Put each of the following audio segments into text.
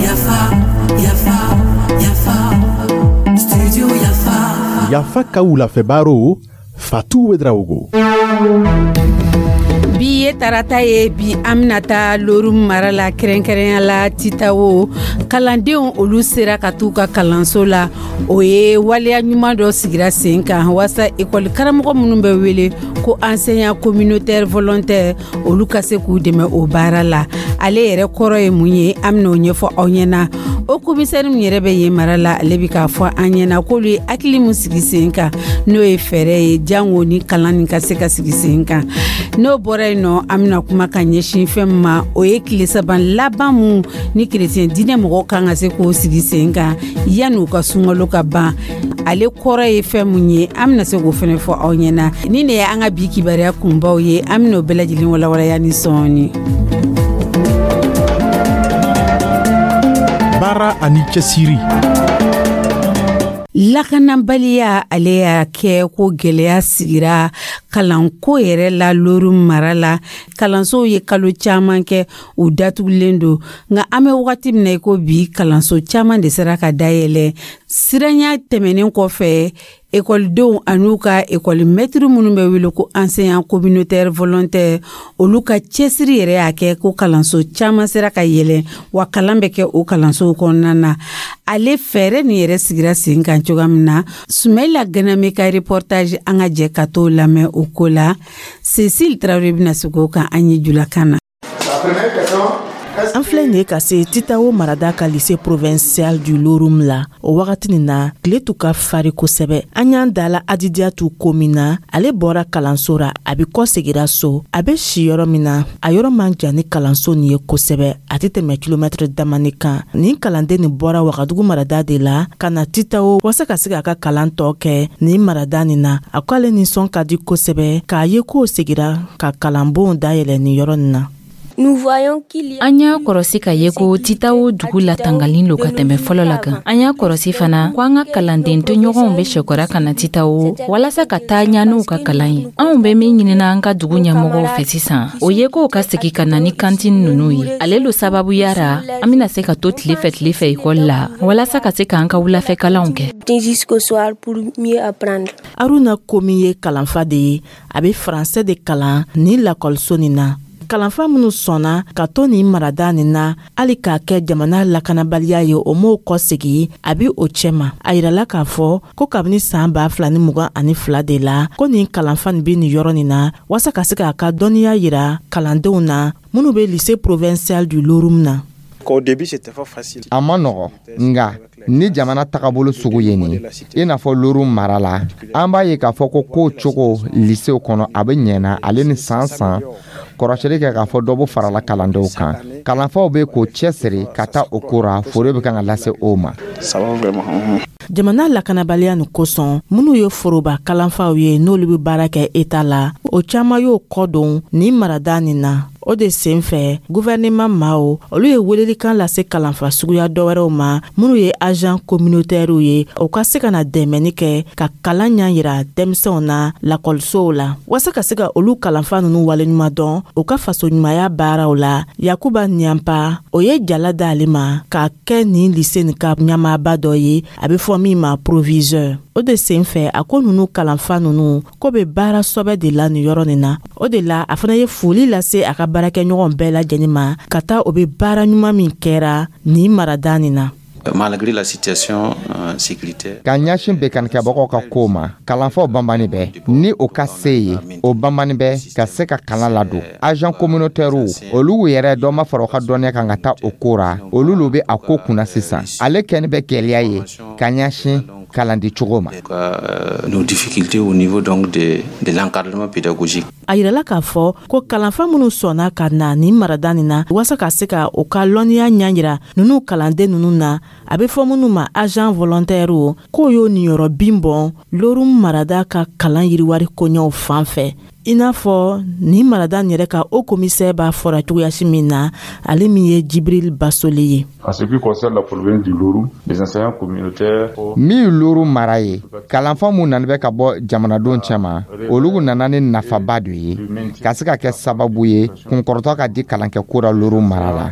Yafa, yafa, yafa, studio Yafa. Yafa ka wulafɛ baro, Fatu Ouedraogo. Bi ye tarata ye. Bi, an bɛna taa Lorum mara la, kɛrɛnkɛrɛnya la Titawo. Kalandenw, olu sera ka t'u ka kalanso la. O ye waleya ɲuman dɔ sigira sen kan waasa ekɔli karamɔgɔ minnu bɛ wele ko enseignant communautaire volontaire, olu ka se k'u dɛmɛ o baara la. Ale yɛrɛ kɔrɔ ye mun ye? An bɛn'o ɲɛfɔ aw ɲɛna. O komisɛri min yɛrɛ bɛ yen mara la, ale bɛ k'a fɔ an ɲɛna k'olu ye hakili min sigi sen kan, n'o ye fɛɛrɛ ye jango ni kalan nin ka se ka sigi sen kan. N'o bɔra yen nɔ, an bɛna kuma ka ɲɛsin fɛn min ma, o ye tile 3 laban mun ni kerecɛn diinɛ mɔgɔw kan ka se k'o sigi sen kan yanni u ka sunkalo ka ban. Ale kɔrɔ ye fɛn mun ye? An bɛna se k'o fɛnɛ fɔ aw ɲɛna. Ni ne ye an ka bi kibaruya kunbaw ye, an bɛna o bɛɛ lajɛlen walawalaya ni sɔɔni. Baara ani cɛsiri. Lakanabaliya, ale y'a kɛ ko gɛlɛya sigira kalanko yɛrɛ la Lorum mara la. Kalansow ye kalo caman kɛ u datugulen don, nka an bɛ wagati min na i ko bi, kalanso caman de sera ka dayɛlɛ siranya tɛmɛnen kɔfɛ. Ekɔlidenw an'u ka ekɔli mɛtiri minnu bɛ wele ko enseignant communautaire volontaire, olu ka cɛsiri yɛrɛ y'a kɛ ko kalanso caman sera ka yɛlɛ, wa kalan bɛ kɛ o kalansow kɔnɔna na. Ale fɛɛrɛ nin yɛrɛ sigira sen kan cogoya min na, Sumayila Ganame ka reportage, an ka jɛ ka t'o lamɛn o ko la. Cécile Tarawele bɛna segin o kan an ye julakan na. An filɛ nin ye ka se Titawo marada ka lycée provincial du Lorum la. O wagati nin na, tile tun ka fari kosɛbɛ. An y'an dala Adidiyatu ko min na, ale bɔra kalanso ra, a bi kɔ segira so. A be si yɔrɔ min na, a yɔrɔ man jan ni kalanso nin ye kosɛbɛ, a tɛ tɛmɛ kilomɛtiri damani kan. Nin kalanden nin bɔra Wagadugu marada de la ka na Titawo wasa ka se k'a ka kalan tɔ kɛ nin marada nin na. A ko ale nisɔn ka di kosɛbɛ k'a ye k'o segira ka kalanbonw dayɛlɛ nin yɔrɔ nin na. An y'a kɔrɔsi ka ye ko Titawo dugu latangali lo ka tɛmɛ fɔlɔ la kan. An y'a kɔrɔsi fana ko an ka kalanden tɔɲɔgɔnw bɛ sɛkɔra ka na Titawo walasa ka taa ɲa n'u ka kalan ye. Anw bɛ min ɲinina an ka dugu ɲɛmɔgɔw fɛ sisan, o ye k'o ka segi ka na ni kantine ninnu ye. Ale lo sababuya ra an bɛna se ka to tile fɛ tile fɛ ekɔli la walasa ka se k'an ka wulafɛ kalanw kɛ. Aruna Komi ye kalanfa de ye, a bɛ faransɛ de kalan nin lakɔliso nin na. Kalanfa minnu sɔnna ka to nin marada nin na, hali k'a kɛ jamana lakanabaliya ye, o m'o kɔsegi a bi o cɛma. A yirala k'a fɔ ko kabini saan 2022 de la ko nin kalanfa nin be nin yɔrɔ nin na waasa ka se k'a ka dɔnniya yira kalandenw na minnu be lycée provincial du Lorum na. A ma nɔgɔ, nka ni jamana tagabolo sugu ye nin, i n'a fɔ Lorum mara la, an b'a ye k'a fɔ ko kow cogo lisew kɔnɔ, a bɛ ɲɛna. Ale ni san san kɔrɔsili kɛ k'a fɔ dɔ bɛ farala kalandenw kan, kalanfaw bɛ k'o cɛsiri ka taa o ko ra, fori bɛ kan ka lase o ma. Jamana lakanabaliya nin kosɔn, minnu ye foroba kalanfaw ye, n'olu bɛ baara kɛ eta la, o caman y'o kɔ don nin marada nin na. O de sen fɛ, guvɛrɛnɛman maaw, olu ye welelikan lase kalanfa suguya dɔwɛrɛw ma minnu ye agent communautairew ye, o ka se ka na dɛmɛni kɛ ka kalan ɲa yira denmisɛnw na lakɔlisow la, waasa ka se ka olu kalanfa nunu waleɲuman dɔn u ka fasoɲumanya baaraw la. Yakuba Niyanpa, o ye jala d'ale ma k'a kɛ nin lise nin ka ɲɛmaaba dɔ ye, a bɛ fɔ min ma proviseur. O de sen fɛ, a ko nunu kalanfa nunu ko bɛ baara sɔbɛ de la nin yɔrɔ nin na. O de la, a fana ye foli lase a ka baarakɛɲɔgɔn bɛɛ lajɛlen ma ka taa o bɛ baara ɲuman min kɛra nin marada nin na. Malgré la situation sécuritaire. Ka ɲɛsin bekanikɛbagaw ka kow ma, kalanfaw banbani bɛ ni o ka se ye, o banbani bɛ ka se ka kalan ladon. Agent communautaire, olu yɛrɛ dɔ ma fara u ka dɔnniya kan ka taa o ko ra, olu lo bɛ a ko kunna sisan. Ale kɛni bɛ gɛlɛya ye ka ɲɛsin kalandi cogo ma. Nos difficultés au niveau donc de l'encadrement pédagogique. A yirala k'a fɔ ko kalanfa minnu sɔnna ka na nin marada nin na waasa ka se ka u ka lɔnniya ɲa yira ninnu kalanden ninnu na, a bɛ fɔ minnu ma agent volontaire, k'o y'o niyɔrɔ bin bɔn Lorum marada ka kalan yiriwari koɲɛw fan fɛ. I n'a fɔ nin marada yɛrɛ ka haut commissaire b'a fɔra cogoyasi min na, ale min ye Jibril Basole ye. En ce qui concerne la province du Loroum, les enseignants communautaires. Min ye Loro mara ye, kalanfa mun nana bɛ ka bɔ jamanadenw cɛma, olu nana ni nafaba dɔ ye ka se ka kɛ sababu ye kunkɔrɔtɔ ka di kalankɛko la Loro mara la.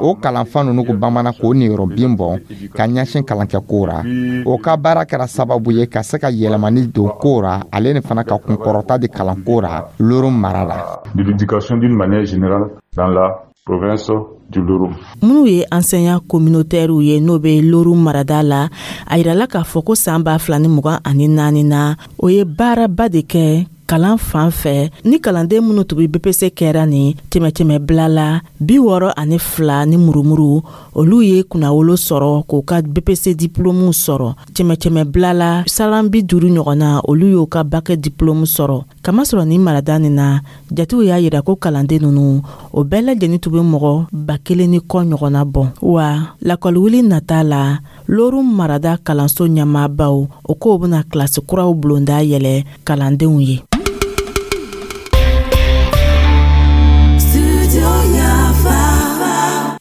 O kalanfa ninnu ko bamanan k'o niyɔrɔ bin bɔn ka ɲɛsin kalankɛko ra. O ka baara kɛra sababu ye ka se ka yɛlɛmani don ko ra, ale ni fana ka kunkɔrɔta di kalanko ra Loro mara la. De l'éducation d'une manière générale dans la province du Loroum. Minnu ye enseignant communautaire ye, n'o bɛ Loroum marada la, a yirala k'a fɔ ko san 2024 na, o ye baaraba de kɛ kalan fan fɛ ni kalanden minnu tun bɛ BEPC kɛra nin cɛmɛ bila la 62 ni murumuru, olu ye kunnawolo sɔrɔ k'u ka BEPC diplôme sɔrɔ. Cɛmɛ bila la salan 50 ɲɔgɔn na, olu y'u ka bac diplôme sɔrɔ. Kamasɔrɔ nin marada nin na, jatew y'a yira ko kalanden ninnu o bɛɛ lajɛlen tun bɛ mɔgɔ 1000 ni kɔ ɲɔgɔnna bɔ. Wa lakɔliwuli nata la, Loroum marada kalanso ɲɛmaabaw o k'o bɛna kilasi kuraw bulonda yɛlɛ kalandenw ye.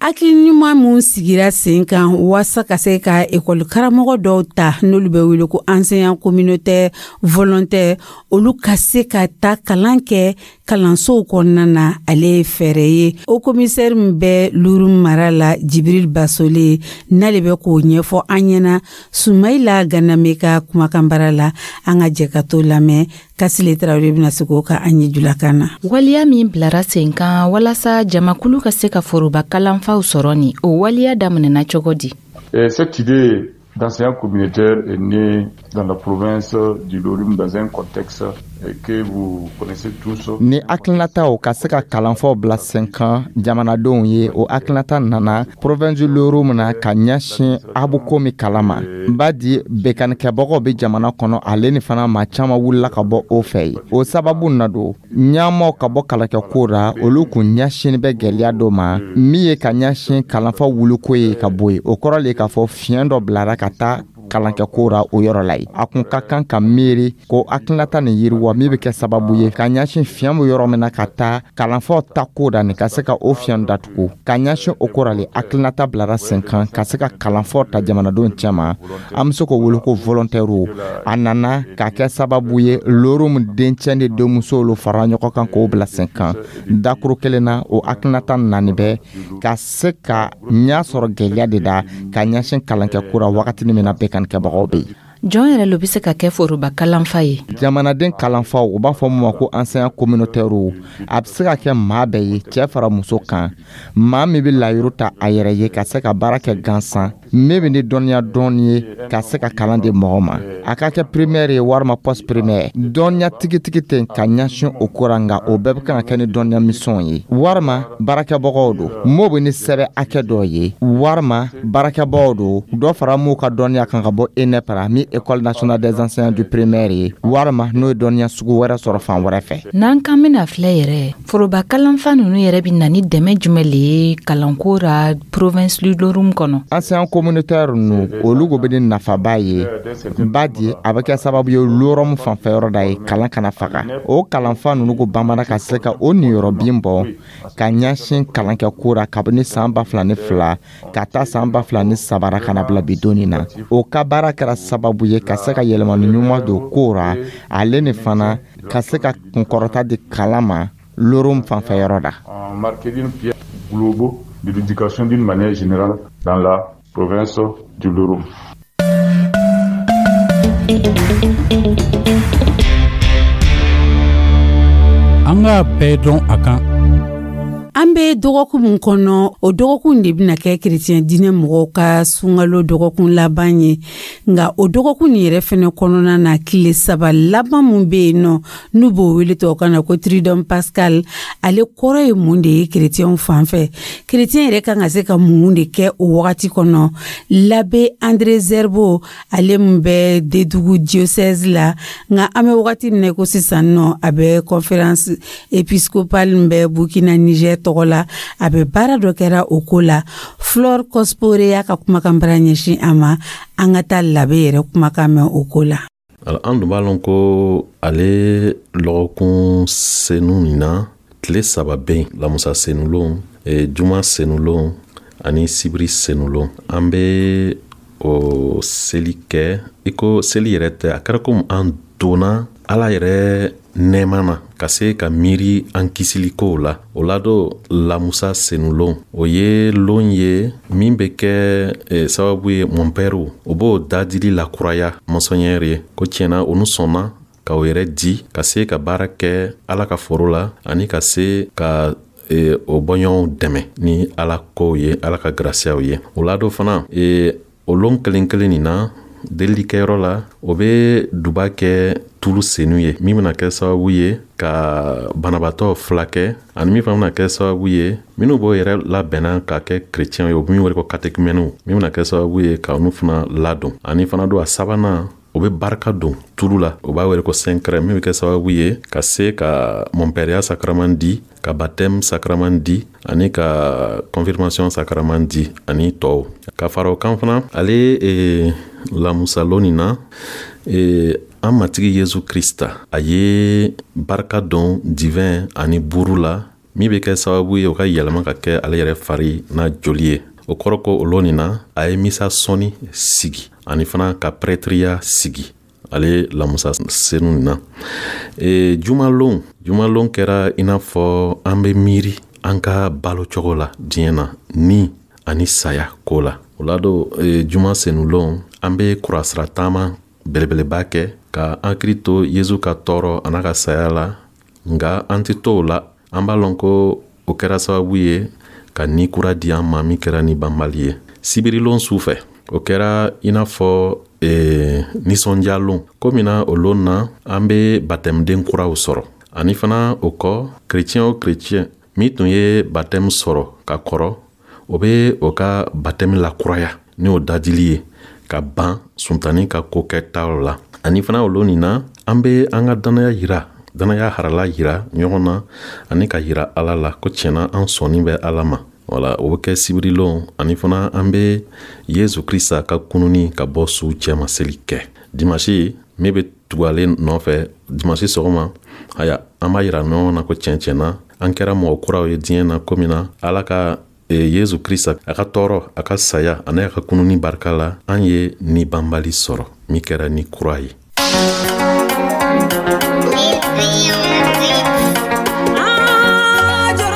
Hakili ɲuman mun sigira sen kan waasa ka se ka ekɔli karamɔgɔ dɔw ta, n'olu bɛ wele ko enseignant communautaire volontaire, olu ka se ka ta kalan kɛ kalansow kɔnɔna na, ale ye fɛɛrɛ ye. Haut commissaire min bɛ Loroum mara la, Jibril Basole, n'ale bɛ k'o ɲɛfɔ an ɲɛna Sumayila Ganame ka kumakan bara la. An ka jɛ ka to lamɛn. Kasile Tarawele bɛna se k'o ka an ye julakan na. Waleya min bilara sen kan walasa jamakulu ka se ka foroba kalanfaw sɔrɔ nin, o waleya daminɛna cogo di? Cette idée d'enseignant communautaire est née dans la province du Loroum dans un contexte que vous connaissez tous. Ni hakilinataw ka se ka kalanfaw bila sen kan jamanadenw ye, o hakilinata nana province du Loroum na ka ɲɛsin abuko min kalama badi bekanikɛbagaw bɛ jamana kɔnɔ, ale ni fana maa caman wulila ka bɔ o fɛ yen. O sababu na don ɲɛmaw ka bɔ kalankɛko ra, olu kun ɲɛsin bɛ gɛlɛya dɔ ma min ye ka ɲɛsin kalanfa wuliko ye ka bɔ yen. O kɔrɔ le k'a fɔ fiɲɛ dɔ bilara ka taa kalankɛko ra o yɔrɔ la yen. A kun ka kan ka miiri ko hakilinata nin yiriwa min bɛ kɛ sababu ye ka ɲɛsin fiɲɛ bɛ yɔrɔ min na ka taa kalanfaw ta ko da nin ka se ka o fiɲɛ datugu. Ka ɲɛsin o ko ra le, hakilinata bilara sen kan ka se ka kalanfaw ta jamanadenw cɛma, an bɛ se k'o wele ko volontaire. A nana ka kɛ sababu ye Loroum dencɛ ni denmusow fara ɲɔgɔn kan k'o bila sen kan dakuru kelen na. O hakilinata nani bɛ ka se ka ɲɛ sɔrɔ gɛlɛya de da ka ɲɛsin kalankɛko ra wagati min na bɛɛ kɛbagaw bɛ yen. Jɔn yɛrɛ lo bɛ se ka kɛ foroba kalanfa ye? Jamanaden kalanfaw, u b'a fɔ mun ma ko enseignant communautaire, a bɛ se ka kɛ maa bɛɛ ye, cɛ fara muso kan, maa min bɛ layiru ta a yɛrɛ ye ka se ka baara kɛ gansan, min bɛ ni dɔnniya dɔɔni ye ka se ka kalan di mɔgɔ ma, a ka kɛ primaire ye walima post primaire. Dɔnniya tigitigi tɛ ka ɲɛsin o ko ra, nka o bɛɛ bɛ kan ka kɛ ni dɔnniya misɛnw ye, walima baarakɛbagaw don m'o bɛ ni sɛbɛn hakɛ dɔ ye, walima baarakɛbagaw don dɔ fara m'u ka dɔnniya kan ka bɔ ENEP ra, min École nationale des enseignants du primaire ye, walima n'o ye dɔnniya sugu wɛrɛ sɔrɔ fan wɛrɛ fɛ. N'an kan bɛna filɛ yɛrɛ, foroba kalanfa ninnu yɛrɛ bɛ na ni dɛmɛ jumɛn le ye kalanko ra province du Loroum kɔnɔ? Enseignant communautaire ninnu, olu ko bɛ ni nafaba ye badi a bɛ kɛ sababu ye Loroum fanfɛ yɔrɔ da ye kalan kana faga. O kalanfa ninnu ko bamana ka se ka o niyɔrɔ bin bɔ ka ɲɛsin kalankɛko ra kabini san 2002 ka taa san 2003 ra ka na bila bi donni na. O ka baara kɛra sababu ye ka se ka yɛlɛmani ɲuman don ko ra, ale ni fana ka se ka kunkɔrɔta di kalan ma Loroum fanfɛ yɔrɔ da. Globaux de l'éducation d'une manière générale dans la province du Loroum. An k'a bɛɛ dɔn a kan. An bɛ dɔgɔkun min kɔnɔ, o dɔgɔkun de bɛna kɛ kerecɛn diinɛ mɔgɔw ka sunkalo dɔgɔkun laban ye. Nka o dɔgɔkun nin yɛrɛ fɛnɛ kɔnɔna na, tile 3 laban min bɛ yen nɔ, n'u b'o wele tubabukan na ko Triduum Pascal, ale kɔrɔ ye mun de ye kerecɛnw fan fɛ? Kerecɛn yɛrɛ kan ka se ka mun de kɛ o wagati kɔnɔ? L'abbé André Zerbo, ale min bɛ Dédougou diocèse la, nka an bɛ wagati min na ko sisan nɔ, a bɛ conférence épiscopale min bɛ Burkina Niger tɔgɔ la, a bɛ baara dɔ kɛra o ko la. Flore Cospore y'a ka kumakan bara ɲɛsin a ma. An ka taa l'abbé yɛrɛ kumakan mɛn o ko la. An dun b'a lɔn ko ale lɔgɔkun senu nin na, tile 3 bɛ yen: lamusa senulon, juma senulon ani sibiri senulon. An bɛ o seli kɛ i ko seli yɛrɛ tɛ, a kɛra komi an donna Ala yɛrɛ nɛɛma na ka se ka miiri an kisili kow la. O la don, lamusa senulon, o ye lon ye min bɛ kɛ sababu ye mɔnpɛriw o b'o dadili lakuraya monseigneur ye, ko tiɲɛna olu sɔnna ka o yɛrɛ di ka se ka baara kɛ Ala ka foro la ani ka se ka o bɔɲɔgɔnw dɛmɛ ni Ala kow ye, Ala ka grasiyaw ye. O la don fana, o lon kelen kelen nin na, delilikɛyɔrɔ la, o bɛ duba kɛ tulu senu ye min bɛna kɛ sababu ye ka banabaatɔ filakɛ, ani min fana bɛna kɛ sababu ye minnu b'o yɛrɛ labɛnna ka kɛ kerecɛnw ye, o min wele ko katekumɛniw, min bɛna kɛ sababu ye ka olu fana ladon. Ani fana don, a sabanan, o bɛ barika don tulu la, o b'a wele ko saint-chrême, min bɛ kɛ sababu ye ka se ka mɔnpɛriya sakraman di, ka baptême sakraman di ani ka confirmation sakraman di ani tɔw. Ka fara o kan fana, ale lamusalon nin na, an Matigi Yezu Krista, a ye barika don divin ani buru la min bɛ kɛ sababu ye o ka yɛlɛma ka kɛ ale yɛrɛ fari n'a joli ye. O kɔrɔ ko o lon nin na, a ye misa sɔnni sigi ani fana ka prɛtiriya sigi ale lamusa senu nin na. Jumalon kɛra i n'a fɔ an bɛ miiri an ka balo cogo la diɲɛ na ni ani saya ko la. O la don, juma senulon, an bɛ kurasira taama belebeleba kɛ ka an hakili to Yezu ka tɔɔrɔ a n'a ka saya la. Nka an tɛ to o la, an b'a lɔn ko o kɛra sababu ye ka ni kura di an ma min kɛra ni banbali ye. Sibirilon su fɛ, o kɛra i n'a fɔ nisɔndiyalon ko min na, o lon na, an bɛ batɛmuden kuraw sɔrɔ. Ani fana o kɔ, kerecɛn o kerecɛn min tun ye batɛmu sɔrɔ ka kɔrɔ, o bɛ o ka batɛmu lakuraya ni o dadili ye ka ban suntani ka ko kɛtaw la. Ani fana o lon nin na, an bɛ an ka danaya yira, danaya harala yira ɲɔgɔn na ani ka yira Ala la ko tiɲɛna an sɔnni bɛ Ala ma. Wala o bɛ kɛ sibirilon. Ani fana an bɛ Yezu Krista ka kununi ka bɔ suw cɛma seli kɛ. Dimasi min bɛ tugu ale nɔfɛ, dimasi sɔgɔma, aya, an b'a yira ɲɔgɔn na ko tiɲɛ tiɲɛna an kɛra mɔgɔ kuraw ye diɲɛ na ko min na Ala ka Yezu Krista a ka tɔɔrɔ, a ka saya ani a ka kununi barika la, an ye ni banbali sɔrɔ min kɛra ni kura ye.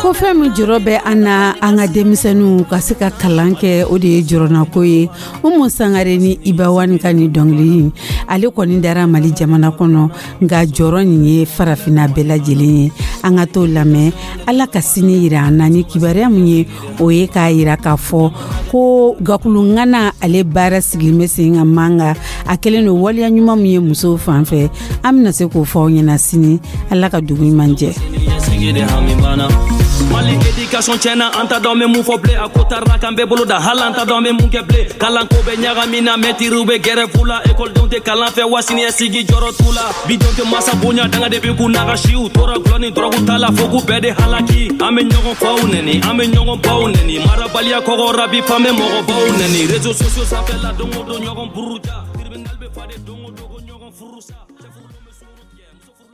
Ko fɛn min jɔrɔ bɛ an na, an ka denmisɛnninw ka se ka kalan kɛ, o de ye jɔrɔnako ye. Umu Sangare ni Iba One ka nin dɔnkili, ale kɔni dara Mali jamana kɔnɔ, nka jɔrɔ nin ye farafinna bɛɛ lajɛlen ye. An ka t'o lamɛn. Ala ka sini yira an na ni kibaruya min ye, o ye k'a yira k'a fɔ ko gakulu ŋana ale baara sigilen bɛ sen kan Manga. A kɛlen don waleya ɲuman min ye musow fan fɛ, an bɛna se k'o fɔ aw ɲɛna sini. Ala ka dugu ɲuman jɛ. Mali éducation tiɲɛna, an t'a dɔn bɛ mun fɔ bilen. A ko taara k'an bɛɛ bolo da, hali an t'a dɔn bɛ mun kɛ bilen. Kalanko bɛ ɲagami na, mɛtiriw bɛ gɛrɛfu la, ekɔlidenw tɛ kalan fɛ wa siniɲɛsigi jɔrɔ t'u la. Bidenw tɛ masa bonya, danga de bɛ k'u n'a ka siw tora gulɔ ni dɔrɔgu ta la fo k'u bɛɛ de halaki. An bɛ ɲɔgɔn faw nɛni, an bɛ ɲɔgɔn baw nɛni, marabaliya kɔgɔra bi fan bɛ mɔgɔbaw nɛni. Réseaux sociaux sanfɛla, don o don ɲɔgɔn buruja, tribunal bɛ fa de don o don ko ɲɔgɔn furu sa.